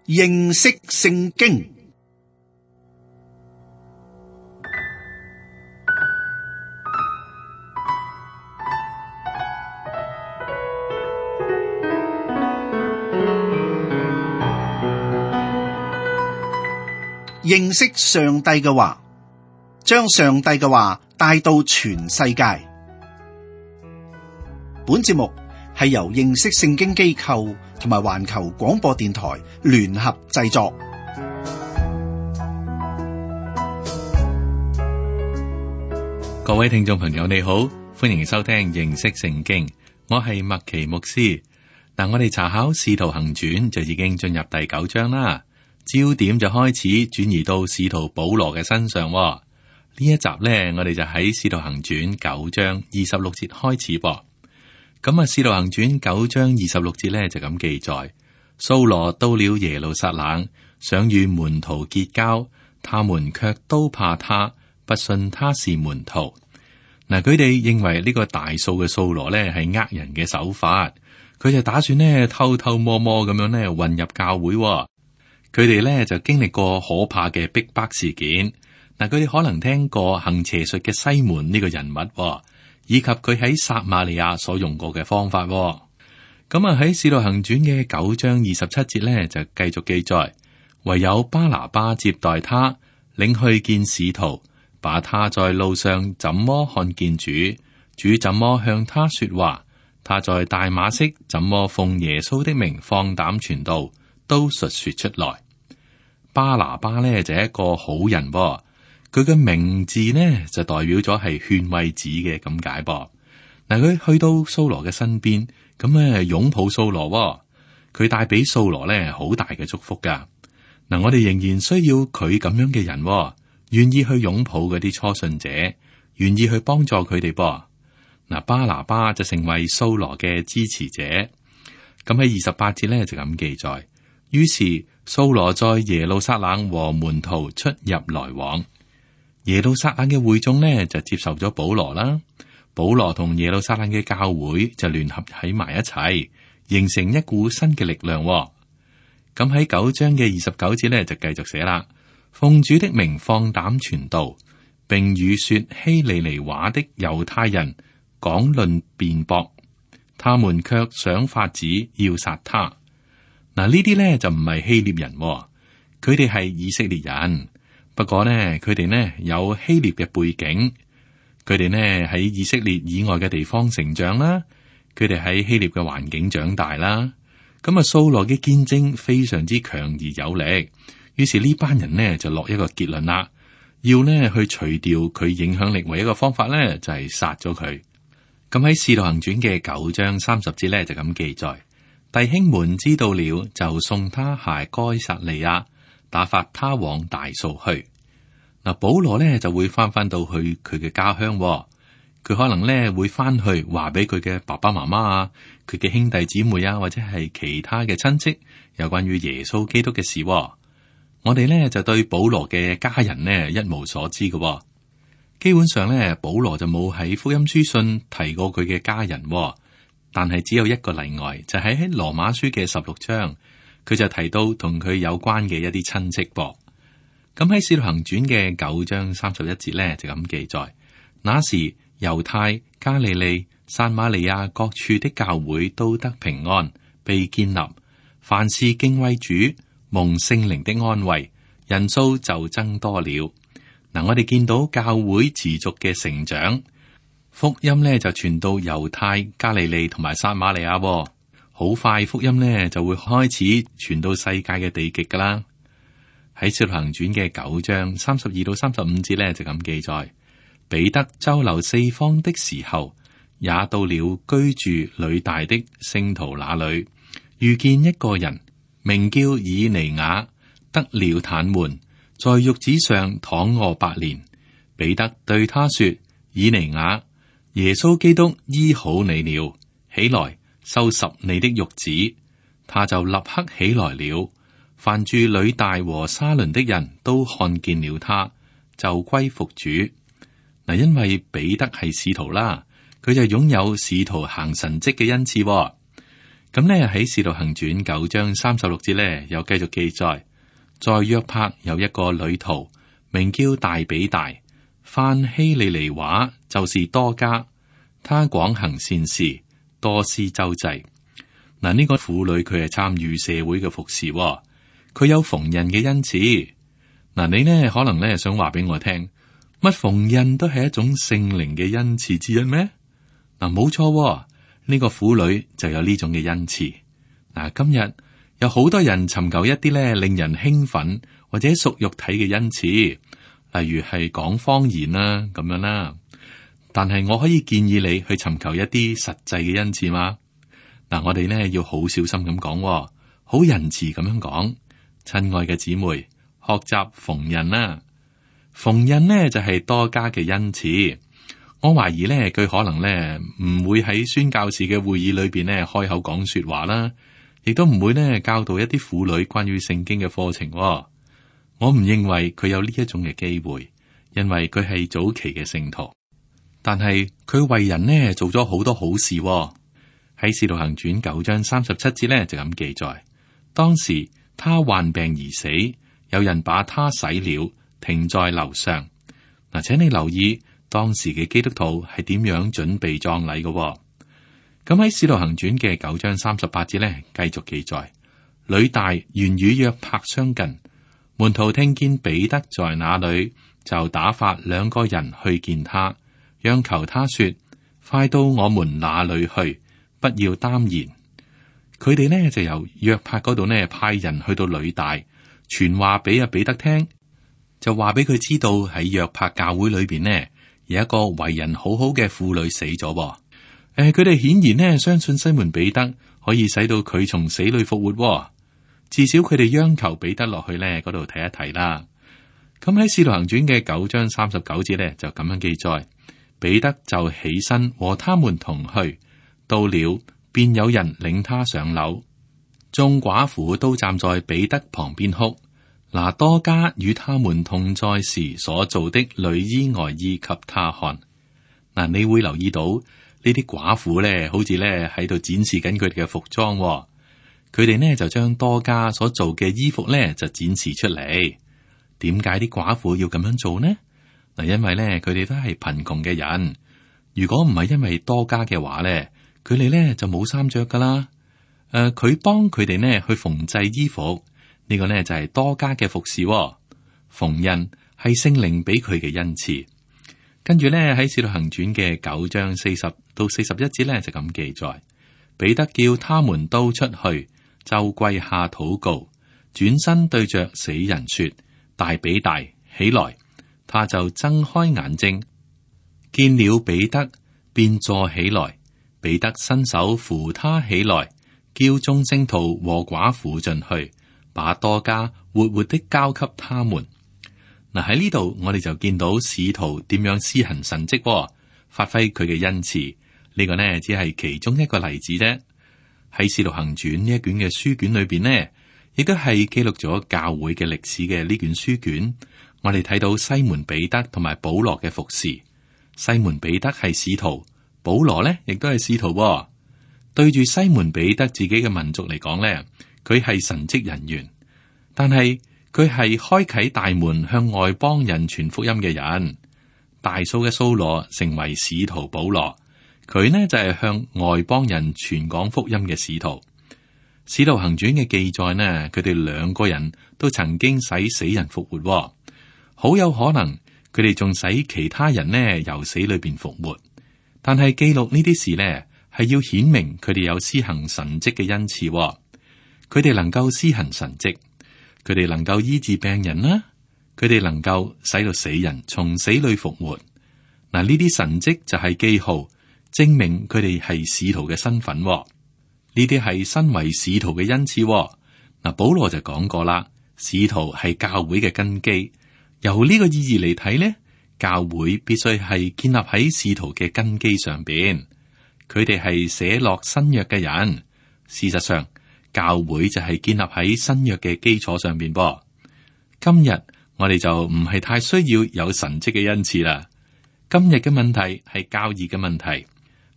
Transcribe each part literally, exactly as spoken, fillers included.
認識聖經。認識上帝嘅話，將上帝嘅話帶到全世界。本節目係由認識聖經機構同埋環球廣播電台聯合製作。各位聽眾朋友，你好，歡迎收聽認識聖經。我係麥奇牧師。嗱，我哋查考《使徒行傳》就已經進入第九章啦。焦點就開始轉移到使徒保羅嘅身上。呢一集呢，我哋就喺《使徒行傳》九章二十六節開始噃。咁啊，《使徒行傳》九章二十六節呢，就咁記載：掃羅到了耶路撒冷，想與門徒結交，他們卻都怕他，不信他是門徒。嗱，佢哋認為呢個大數嘅掃羅呢係呃人嘅手法，佢就打算呢偷偷摸摸咁樣呢混入教會。佢哋咧就經歷過可怕嘅逼迫事件。嗱，佢哋可能聽過行邪術嘅西門呢個人物，以及佢喺撒瑪利亞所用過嘅方法。咁啊，喺《使徒行傳》嘅九章二十七節咧就繼續記載，唯有巴拿巴接待他，領去見使徒，把他在路上怎麼看見主，主怎麼向他說話，他在大馬色怎麼奉耶穌的名放膽傳道，都述說出來。巴拿巴咧就係一個好人噃，佢嘅名字呢就代表咗係勸慰子嘅咁解噃。嗱，佢去到掃羅嘅身邊，咁咧擁抱掃羅，佢帶俾掃羅咧好大嘅祝福噶。嗱，我哋仍然需要佢咁樣嘅人，願意去擁抱嗰啲初信者，願意去幫助佢哋噃。嗱，巴拿巴就成為掃羅嘅支持者。咁喺二十八節咧就咁記載。於是掃羅在耶路撒冷和門徒出入來往，耶路撒冷嘅會眾呢就接受咗保羅啦，保羅同耶路撒冷嘅教會就聯合喺埋一齊，形成一股新嘅力量。咁喺九章嘅二十九節呢就繼續寫啦，奉主的名放膽傳道，並與說希利尼話的猶太人講論辯駁，他們卻想法子要殺他。嗱，呢啲咧就唔係希臘人，佢哋係以色列人。不過呢，佢哋呢有希臘嘅背景，佢哋呢喺以色列以外嘅地方成長啦，佢哋喺希臘嘅環境長大啦。咁啊，掃羅嘅見證非常之強而有力，於是呢班人呢就落一個結論啦，要呢去除掉佢影響力唯一嘅方法呢就係殺咗佢。咁喺《使徒行傳》嘅九章三十節呢就咁記載。弟兄們知道了，就送他下該撒利亞，打發他往大數去。嗱，保羅咧就會翻翻到去佢嘅家鄉，佢可能咧會翻去話俾佢嘅爸爸媽媽啊，佢嘅兄弟姊妹啊，或者係其他嘅親戚有關於耶穌基督嘅事。我哋咧就對保羅嘅家人呢一無所知嘅，基本上咧保羅就冇喺福音書信提過佢嘅家人。但係只有一個例外，就係喺羅馬書嘅十六章，佢就提到同佢有關嘅一啲親戚噃。咁喺使徒行傳嘅九章三十一節咧，就咁記載：那時猶太、加利利、撒瑪利亞各處的教會都得平安，被建立，凡事敬畏主，蒙聖靈的安慰，人數就增多了。嗱，我哋見到教會持續嘅成長。福音咧就傳到猶太、加利利同埋撒瑪利亞，好快福音咧就會開始傳到世界嘅地極噶啦。喺《使徒行傳》嘅九章三十二到三十五節咧就咁記載：彼得周流四方的時候，也到了居住呂大的聖徒那裏，遇見一個人名叫以尼雅，得了癱瘓，在褥子上躺臥八年。彼得對他說：以尼雅，耶穌基督醫好你了，起來收拾你的褥子。他就立刻起來了。凡住呂大和沙崙的人都看見了他，就歸服主。嗱，因為彼得係使徒啦，佢就擁有使徒行神蹟嘅恩賜。咁呢，喺《使徒行傳》九章三十六節呢，又繼續記載，在約帕有一個女徒，名叫大比大，泛希利尼話就是多加，她廣行善事，多施周濟。嗱，呢個婦女佢係參與社會嘅服侍，佢有縫紉嘅恩賜。嗱，你呢可能呢想話俾我聽，乜縫紉都係一種聖靈嘅恩賜之一咩？嗱，冇錯，呢個婦女就有呢種嘅恩賜。嗱，今日有好多人尋求一啲咧令人興奮或者屬肉體嘅恩賜，例如係講方言啦咁樣啦。但係我可以建議你去尋求一啲實際嘅恩賜嘛。嗱，我哋呢要好小心咁講，好仁慈咁樣講。親愛嘅姊妹，學習縫紉啦，縫紉呢就係多加嘅恩賜。我懷疑呢，佢可能呢唔會喺宣教士嘅會議裏邊呢開口講說話啦，亦都唔會呢教導一啲婦女關於聖經嘅課程。我唔認為佢有呢一種嘅機會，因為佢係早期嘅聖徒。但係佢為人呢做咗好多好事。喺《使徒行傳》九章三十七節呢就咁記載，當時他患病而死，有人把他洗了，停在樓上。嗱，請你留意。當時嘅基督徒係點樣準備葬禮嘅？咁喺《使徒行傳》嘅九章三十八節呢，繼續記載：呂大原與約帕相近，門徒聽見彼得在那裏，就打發兩個人去見他，央求他說：快到我們那裏去，不要耽延。佢哋呢就由約帕嗰度呢派人去到呂大，傳話俾阿彼得聽，就話俾佢知道喺約帕教會裏邊呢。有一個為人好好嘅婦女死咗，誒、呃，佢哋顯然呢相信西門彼得可以使到佢從死裏復活，至少佢哋央求彼得落去呢嗰度睇一睇啦。咁喺《使徒行傳》嘅九章三十九節呢，就咁樣記載：彼得就起身和他們同去，到了便有人領他上樓，眾寡婦都站在彼得旁邊哭。拿多加與他們同在時所做的裡衣外衣給他看。嗱，你會留意到呢啲寡婦咧，好似咧喺度展示緊佢哋嘅服裝。佢哋呢就將多加所做嘅衣服咧就展示出嚟。點解啲寡婦要咁樣做呢？嗱，因為咧佢哋都係貧窮嘅人。如果唔係因為多加嘅話咧，佢哋咧就冇衫着噶啦。誒、呃，佢幫佢哋呢去縫製衣服。呢個呢就係多加嘅服侍，縫紉係聖靈俾佢嘅恩賜。跟住呢喺《使徒行傳》嘅九章四十到四十一節呢就咁記載：彼得叫他們都出去，就跪下禱告，轉身對着死人說：大比大，起來！他就睜開眼睛，見了彼得，便坐起來。彼得伸手扶他起來，叫眾聖徒和寡婦進去。把多加活活的交給他們。嗱，喺呢度我哋就見到使徒點樣施行神蹟、哦，發揮佢嘅恩賜。呢、這個呢只係其中一個例子啫。喺使徒行傳呢一卷嘅書卷裏邊呢，亦都係記錄咗教會嘅歷史嘅呢卷書卷。我哋睇到西門彼得同埋保羅嘅服侍。西門彼得係使徒，保羅呢亦都係使徒、哦。對住西門彼得自己嘅民族嚟講呢，佢係神職人員，但係佢係開啟大門向外邦人傳福音嘅人。大數嘅掃羅成為使徒保羅，佢呢就係向外邦人傳講福音嘅使徒。使徒行傳嘅記載呢，佢哋兩個人都曾經使死人復活，好有可能佢哋仲使其他人呢由死裏邊復活。但係記錄呢啲事呢，係要顯明佢哋有施行神蹟嘅恩賜。佢哋能夠施行神蹟，佢哋能夠醫治病人啦，佢哋能夠使到死人從死裏復活。嗱，呢啲神蹟就係記號，證明佢哋係使徒嘅身份。呢啲係身為使徒嘅恩賜。嗱，保羅就講過啦，使徒係教會嘅根基。由呢個意義嚟睇呢，教會必須係建立喺使徒嘅根基上邊。佢哋係寫落新約嘅人，事實上。教會就係建立喺新約嘅基礎上邊噃。今日我哋就唔係太需要有神蹟嘅恩賜啦。今日嘅問題係教義嘅問題。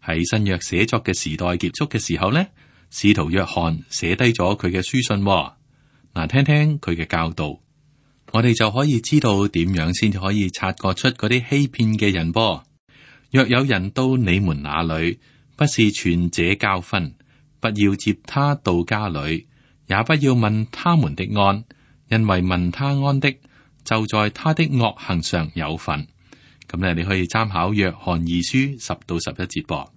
喺新約寫作嘅時代結束嘅時候呢，使徒約翰寫低咗佢嘅書信喎。嗱，聽聽佢嘅教導，我哋就可以知道點樣先至可以察覺出嗰啲欺騙嘅人噃。若有人到你們那裏，不是傳這教訓，不要接他到家裏，也不要問他們的安，因為問他安的，就在他的惡行上有份。咁咧，你可以參考約翰二書十到十一節噃。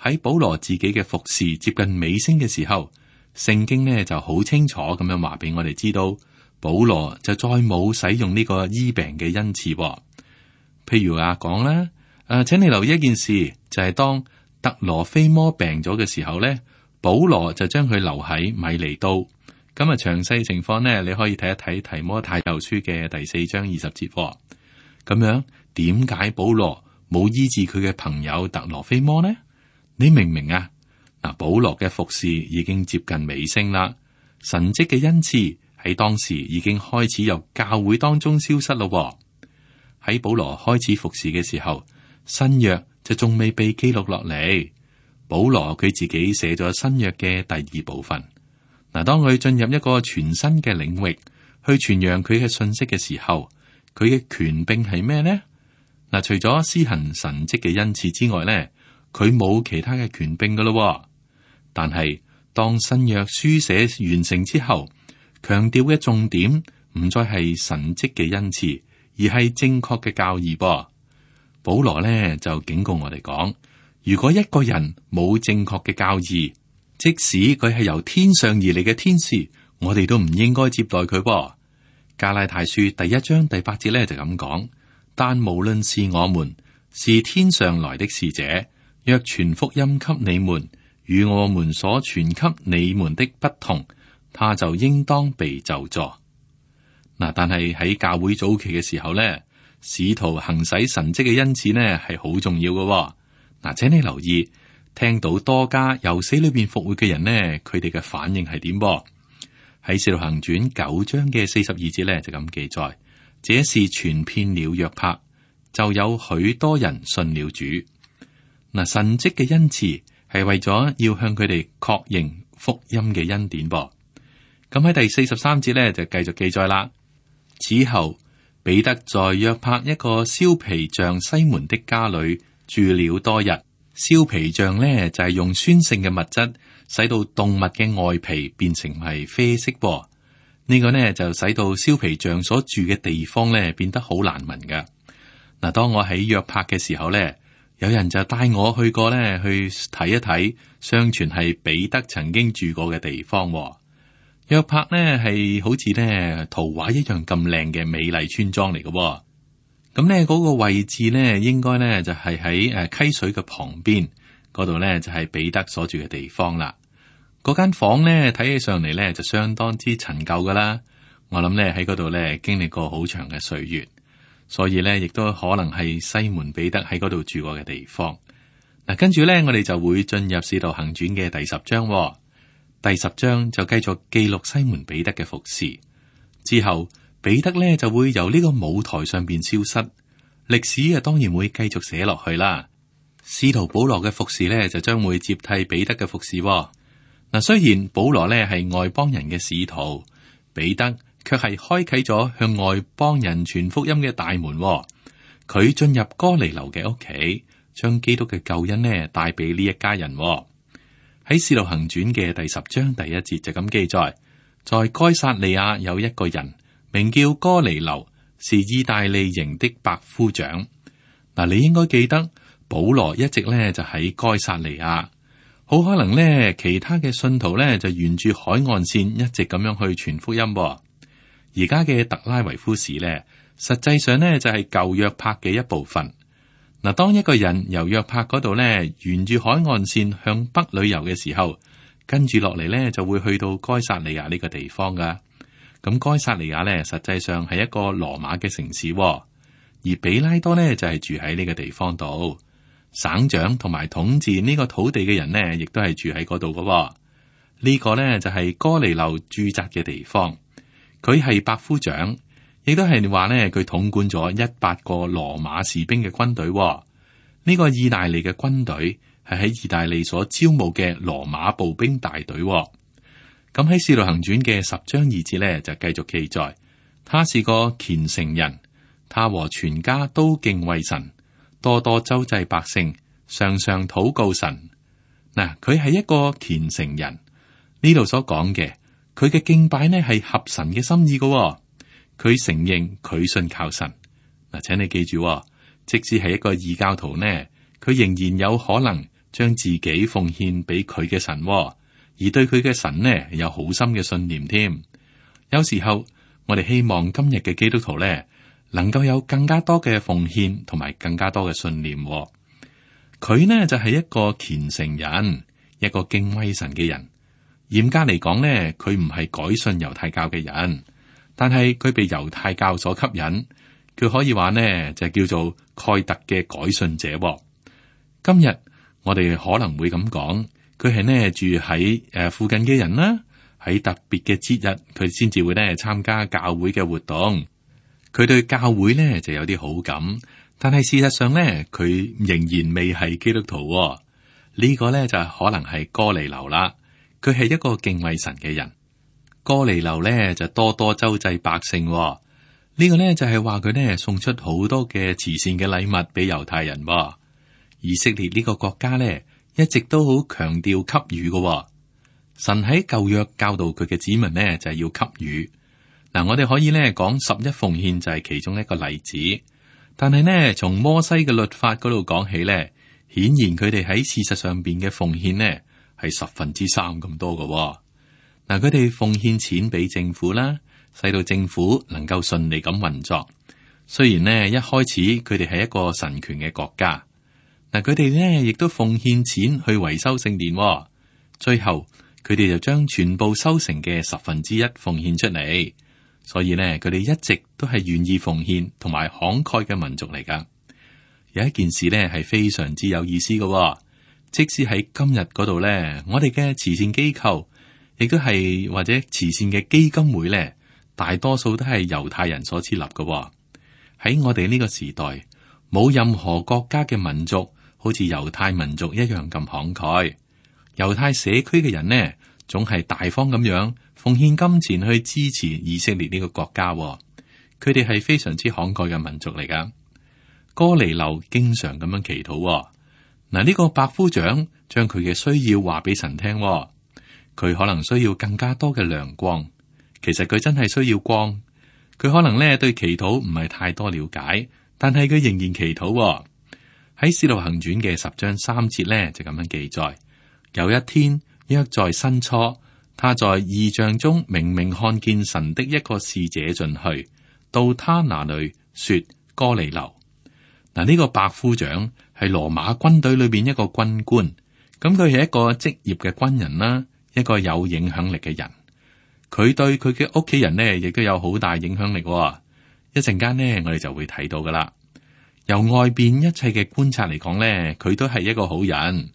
喺保羅自己嘅服侍接近尾聲嘅時候，聖經呢就好清楚咁樣話俾我哋知道，保羅就再冇使用呢個醫病嘅恩賜噃。譬如啊講啦。誒、啊，請你留意一件事，就係、是、當特羅菲摩病咗嘅時候咧，保羅就將佢留喺米尼都。咁啊，詳細情況呢，你可以睇一睇提摩太後書嘅第四章二十節。咁樣，點解保羅冇醫治佢嘅朋友特羅菲摩呢？你明唔明啊？嗱，保羅嘅服侍已經接近尾聲啦，神蹟嘅恩賜喺當時已經開始由教會當中消失咯。喺保羅開始服侍嘅時候，新約就仲未被記錄落嚟，保羅佢自己寫咗新約嘅第二部分。嗱，當佢進入一個全新嘅領域去傳揚佢嘅信息嘅時候，佢嘅權柄係咩呢？嗱，除咗施行神蹟嘅恩賜之外咧，佢冇其他嘅權柄噶咯。但係當新約書寫完成之後，強調嘅重點唔再係神蹟嘅恩賜，而係正確嘅教義噃。保羅咧就警告我哋講，如果一個人冇正確嘅教義，即使佢係由天上而嚟嘅天使，我哋都唔應該接待佢噃。加拉太書第一章第八節咧就咁講，但無論是我們是天上來的使者，若傳福音給你們，與我們所傳給你們的不同，他就應當被咒詛。嗱，但係喺教會早期嘅時候咧，使徒行使神蹟嘅恩賜呢係好重要嘅。嗱，請你留意，聽到多加由死裏邊復活嘅人呢，佢哋嘅反應係點？喺使徒行傳九章嘅四十二節呢，就咁記載，這事傳遍了約帕，就有許多人信了主。嗱，神蹟嘅恩賜係為咗要向佢哋確認福音嘅恩典噃。咁喺第四十三節呢，就繼續記載啦。此後彼得在約帕一個燒皮匠西門的家裏住了多日。燒皮匠呢，就係、是、用酸性嘅物質使到動物嘅外皮變成係啡色噃。呢、這個呢，就使到燒皮匠所住嘅地方呢變得好難聞噶。嗱，當我喺約帕嘅時候呢，有人就帶我去過呢去睇一睇，相傳係彼得曾經住過嘅地方。約帕呢係好似呢圖畫一樣咁靚嘅美麗村莊嚟嘅。咁呢嗰個位置呢，應該呢就係喺誒溪水嘅旁邊嗰度呢，就係彼得所住嘅地方啦。嗰間房呢睇起上嚟呢就相當之陳舊噶啦。我諗呢喺嗰度呢經歷過好長嘅歲月，所以呢亦都可能係西門彼得喺嗰度住過嘅地方。嗱，跟住呢我哋就會進入使徒行傳嘅第十章。第十章就繼續記錄西門彼得嘅服侍，之後彼得呢就會由呢個舞台上邊消失，歷史啊當然會繼續寫落去啦。使徒保羅嘅服侍呢就將會接替彼得嘅服侍。嗱，雖然保羅呢係外邦人嘅使徒，彼得卻係開啟咗向外邦人傳福音嘅大門。佢進入哥尼流嘅屋企，將基督嘅救恩呢帶俾呢一家人。喺《使徒行傳》嘅第十章第一節就咁記載，在該撒利亞有一個人名叫哥尼流，是意大利營的百夫長。嗱，你應該記得保羅一直咧就喺該撒利亞，好可能咧其他嘅信徒咧就沿住海岸線一直咁樣去傳福音。而家嘅特拉維夫市咧，實際上咧就係舊約帕嘅一部分。嗱，當一個人由約帕嗰度咧，沿住海岸線向北旅遊嘅時候，跟住落嚟咧就會去到該撒利亞呢個地方噶。咁該撒利亞咧，實際上係一個羅馬嘅城市，而比拉多咧就係住喺呢個地方度。省長同埋統治呢個土地嘅人呢，亦都係住喺嗰度噶。呢個咧就係哥尼流駐紮嘅地方，佢係百夫長。亦都係話咧，佢統管咗一百個羅馬士兵嘅軍隊。呢個意大利嘅軍隊係喺意大利所招募嘅羅馬步兵大隊。咁喺《使徒行傳》嘅十章二節呢，就繼續記載，他是個虔誠人，他和全家都敬畏神，多多周濟百姓，常常禱告神。嗱，佢係一個虔誠人，呢度所講嘅，佢嘅敬拜呢係合神嘅心意嘅。佢承認佢信靠神。嗱，請你記住，即使係一個異教徒呢，佢仍然有可能將自己奉獻俾佢嘅神，而對佢嘅神呢有好深嘅信念添。有時候我哋希望今日嘅基督徒呢，能夠有更加多嘅奉獻同埋更加多嘅信念。佢呢就係一個虔誠人，一個敬畏神嘅人。嚴格嚟講呢，佢唔係改信猶太教嘅人，但係佢被猶太教所吸引，佢可以話呢就叫做蓋特嘅改信者。今日我哋可能會咁講，佢係呢住喺誒附近嘅人啦，喺特別嘅節日佢先至會呢參加教會嘅活動。佢對教會呢就有啲好感，但係事實上呢，佢仍然未係基督徒。呢個呢就可能係哥尼流啦，佢係一個敬畏神嘅人。哥尼流呢就多多周濟百姓。呢個呢就係話佢呢送出好多嘅慈善嘅禮物俾猶太人。以色列呢個國家呢一直都好強調給予嘅。神喺舊約教導佢嘅子民呢就係要給予。嗱，我哋可以呢講十一奉獻就係其中一個例子，但係呢從摩西嘅律法嗰度講起呢，顯然佢哋喺事實上邊嘅奉獻呢係十分之三咁多嘅。嗱，佢哋奉獻錢俾政府啦，使到政府能夠順利咁運作。雖然呢一開始佢哋係一個神權嘅國家，嗱，佢哋呢亦都奉獻錢去維修聖殿，最後佢哋就將全部收成嘅十分之一奉獻出嚟。所以呢，佢哋一直都係願意奉獻同埋慷慨嘅民族嚟噶。有一件事呢係非常之有意思嘅，即使喺今日嗰度呢，我哋嘅慈善機構亦都係或者慈善嘅基金會呢，大多數都係猶太人所設立嘅。喺我哋呢個時代，冇任何國家嘅民族好似猶太民族一樣咁慷慨。猶太社區嘅人呢，總係大方咁樣奉獻金錢去支持以色列呢個國家。佢哋係非常之慷慨嘅民族嚟噶。哥尼流經常咁樣祈禱。嗱，呢個百夫長將佢嘅需要話俾神聽。佢可能需要更加多嘅亮光。其實佢真係需要光。佢可能咧對祈禱唔係太多了解，但係佢仍然祈禱。喺《使徒行傳》嘅十章三節咧就咁樣記載：有一天，約在申初，他在異象中明明看見神的一個使者進去，到他那裏說：哥尼流。嗱，呢個百夫長係羅馬軍隊裏邊一個軍官，咁佢係一個職業嘅軍人啦，一個有影響力嘅人。佢對佢嘅屋企人呢，亦都有好大影響力。一陣間呢，我哋就會睇到噶啦。由外邊一切嘅觀察嚟講呢，佢都係一個好人。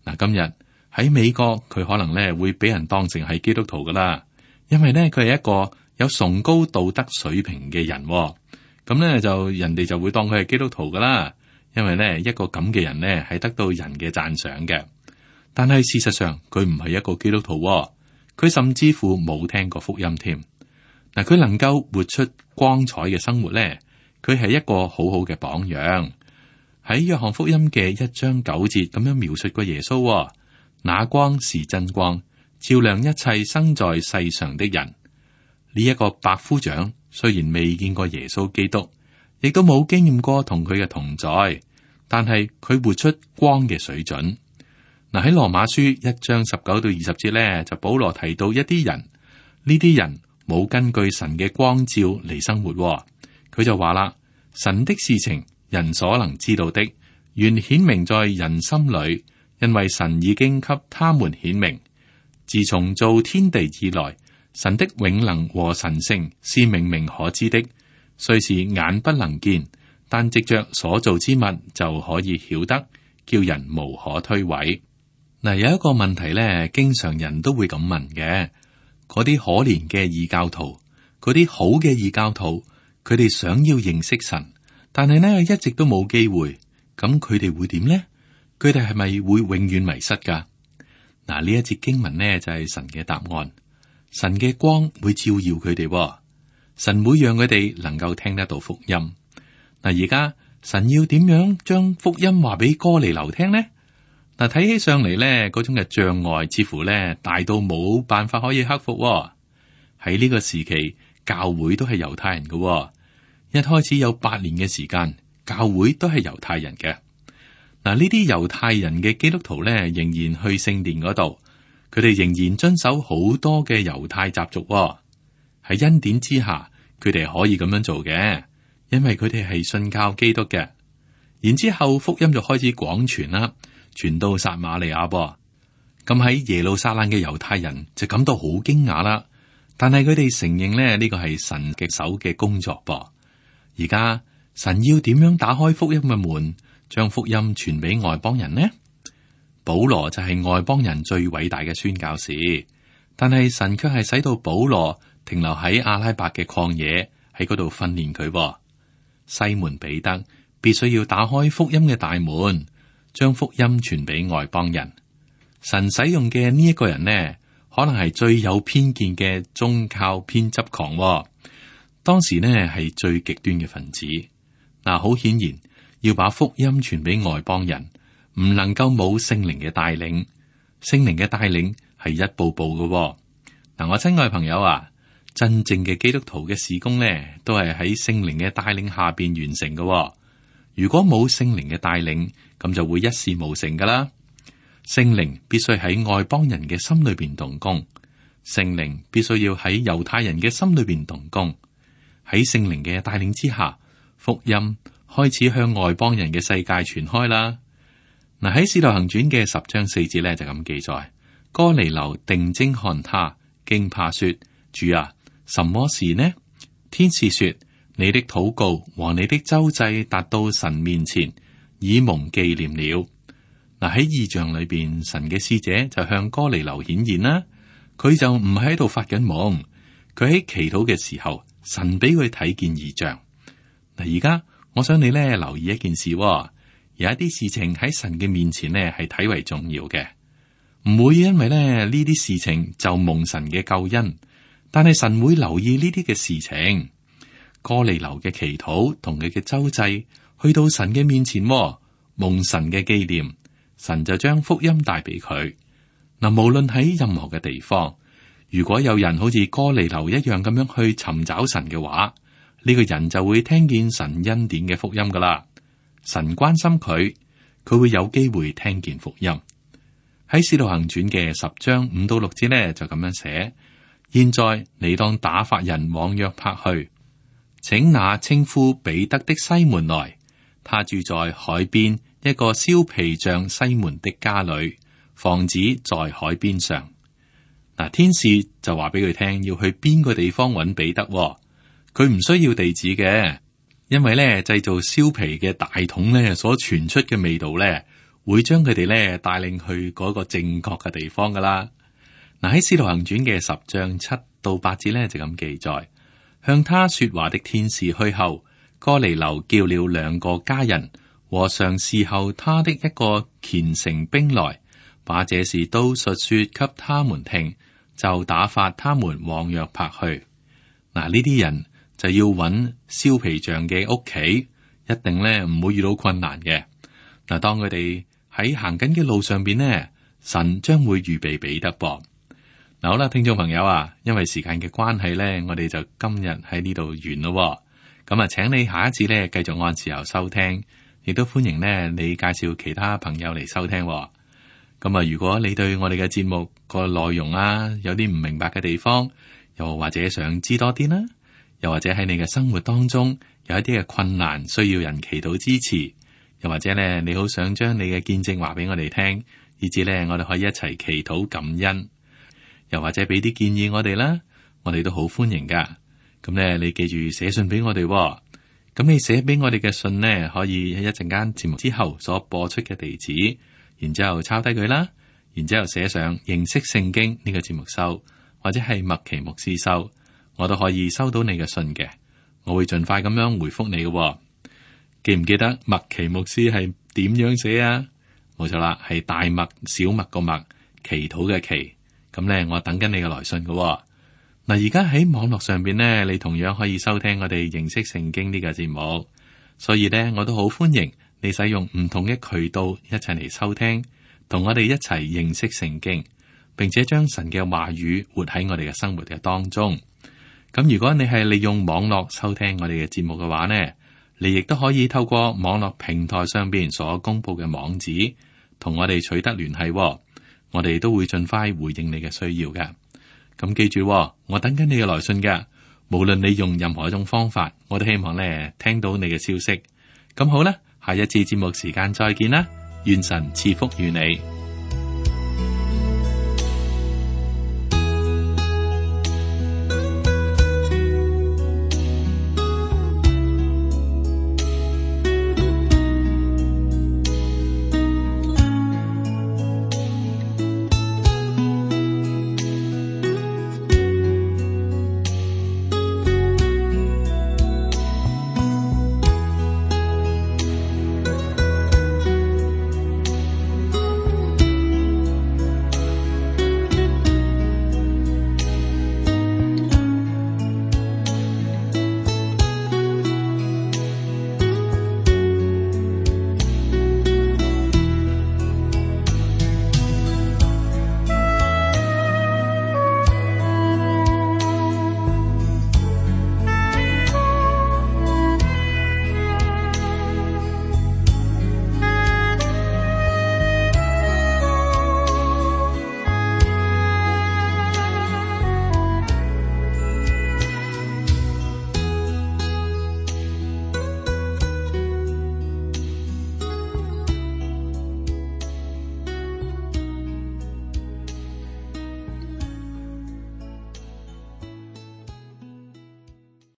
嗱，今日喺美國，佢可能呢會俾人當成係基督徒噶啦，因為呢，佢係一個有崇高道德水平嘅人。咁呢，就人哋就會當佢係基督徒噶啦，因為呢，一個咁嘅人呢係得到人嘅讚賞嘅。但係事實上佢唔係一個基督徒，佢甚至乎冇聽過福音添。嗱，佢能夠活出光彩嘅生活呢，佢係一個好好嘅榜樣。喺約翰福音嘅一章九節咁樣描述過耶穌，那光是真光，照亮一切生在世上的人。呢一個百夫長雖然未見過耶穌基督，亦都冇經驗過同佢嘅同在，但係佢活出光嘅水準。嗱，喺羅馬書一章十九到二十節咧，就保羅提到一啲人，呢啲人冇根據神嘅光照嚟生活。佢就話啦：神的事情人所能知道的，原顯明在人心裏，因為神已經給他們顯明。自從造天地以來，神的永能和神性是明明可知的，雖是眼不能見，但藉着所造之物就可以曉得，叫人無可推諉。嗱，有一個問題咧，經常人都會咁問嘅，嗰啲可憐嘅異教徒，嗰啲好嘅異教徒，佢哋想要認識神，但係呢一直都冇機會，咁佢哋會點呢？佢哋係咪會永遠迷失噶？嗱，呢一節經文呢就係神嘅答案。神嘅光會照耀佢哋，神會讓佢哋能夠聽得到福音。嗱，而家神要點樣將福音話俾哥尼流聽呢？嗱，睇起上嚟咧，嗰種嘅障礙似乎咧大到冇辦法可以克服。喺呢個時期，教會都係猶太人嘅，一開始有八年嘅時間，教會都係猶太人嘅。嗱，呢啲猶太人嘅基督徒咧，仍然去聖殿嗰度，佢哋仍然遵守好多嘅猶太習俗。喺恩典之下，佢哋可以咁樣做嘅，因為佢哋係信靠基督嘅。然之後福音就開始廣傳啦。傳到撒瑪利亞噃，咁喺耶路撒冷嘅猶太人就感到好驚訝啦。但係佢哋承認咧，呢個係神嘅手嘅工作噃。而家神要點樣打開福音嘅門，將福音傳俾外邦人呢？保羅就係外邦人最偉大嘅宣教士，但係神卻係使到保羅停留喺阿拉伯嘅曠野，喺嗰度訓練佢。西門彼得必須要打開福音嘅大門，將福音傳俾外邦人。神使用嘅呢一個人呢，可能係最有偏見嘅宗教偏執狂，哦。當時呢係最極端嘅分子。嗱，好顯然要把福音傳俾外邦人，唔能夠冇聖靈嘅帶領。聖靈嘅帶領係一步步嘅，哦。嗱，我親愛朋友啊，真正嘅基督徒嘅事工呢，都係喺聖靈嘅帶領下邊完成嘅，哦。如果冇聖靈嘅帶領，咁就會一事無成噶啦。聖靈必須喺外邦人嘅心裏邊動工，聖靈必須要喺猶太人嘅心裏邊動工。喺聖靈嘅帶領之下，福音開始向外邦人嘅世界傳開啦。嗱，喺《使徒行傳》嘅十章四節咧就咁記載：哥尼流定睛看他，驚怕說：主啊，什麼事呢？天使說：你的禱告和你的周濟達到神面前，已蒙紀念了。嗱，喺異象裏邊，神嘅使者就向哥尼流顯現啦。佢就唔喺度發緊夢，佢喺祈禱嘅時候，神俾佢睇見異象。嗱，而家我想你咧留意一件事，有一啲事情喺神嘅面前呢係睇為重要嘅，唔會因為咧呢啲事情就蒙神嘅救恩，但係神會留意呢啲嘅事情。哥尼流嘅祈禱同佢嘅周濟去到神嘅面前，蒙神嘅紀念，神就將福音帶俾佢。嗱，無論喺任何嘅地方，如果有人好似哥尼流一樣咁樣去尋找神嘅話，呢個人就會聽見神恩典嘅福音噶啦。神關心佢，佢會有機會聽見福音。喺《使徒行傳》嘅十章五到六節呢，就咁樣寫：現在你當打發人往約帕去，請那稱呼彼得的西門來，他住在海邊一個燒皮匠西門的家裏，房子在海邊上。嗱，天使就話俾佢聽要去邊個地方揾彼得，佢唔需要地址嘅，因為咧製造燒皮嘅大桶咧所傳出嘅味道咧，會將佢哋咧帶領去嗰個正確嘅地方噶啦。嗱，喺《使徒行傳》嘅十章七到八節咧就咁記載。向他說話的天使去後，哥尼流叫了兩個家人和常侍候他的一個虔誠兵來，把這事都述說給他們聽，就打發他們往約帕去。嗱，呢啲人就要揾燒皮匠嘅屋企，一定咧唔會遇到困難嘅。嗱，當佢哋喺行緊嘅路上邊呢，神將會預備彼得噃。嗱，好啦，聽眾朋友啊，因為時間嘅關係咧，我哋就今日喺呢度完咯。咁啊，請你下一次咧繼續按時候收聽，亦都歡迎咧你介紹其他朋友嚟收聽。咁啊，如果你對我哋嘅節目個內容啊有啲唔明白嘅地方，又或者想知多啲啦，又或者喺你嘅生活當中有一啲嘅困難需要人祈禱支持，又或者咧你好想將你嘅見證話俾我哋聽，以至咧我哋可以一齊祈禱感恩。又或者俾啲建議我哋啦，我哋都好歡迎噶。咁咧，你記住寫信俾我哋。咁你寫俾我哋嘅信呢，可以喺一陣間節目之後所播出嘅地址，然之後抄低佢啦，然之後寫上認識聖經呢個節目收，或者係麥奇牧師收，我都可以收到你嘅信嘅。我會盡快咁樣回覆你嘅。記唔記得麥奇牧師係點樣寫啊？冇錯啦，係大麥、小麥個麥，祈禱嘅祈。咁咧，我等緊你嘅來信嘅、哦。嗱，而家喺網絡上邊呢，你同樣可以收聽我哋認識聖經呢個節目。所以咧，我都好歡迎你使用唔同嘅渠道一齊嚟收聽，同我哋一齊認識聖經，並且將神嘅話語活喺我哋嘅生活嘅當中。咁如果你係利用網絡收聽我哋嘅節目嘅話呢，你亦都可以透過網絡平台上邊所公布嘅網址，同我哋取得聯繫、哦。我哋都會盡快回應你嘅需要嘅。咁記住、哦，我等緊你嘅來信嘅。無論你用任何一種方法，我都希望咧聽到你嘅消息。咁好啦，下一次節目時間再見啦，願神賜福於你。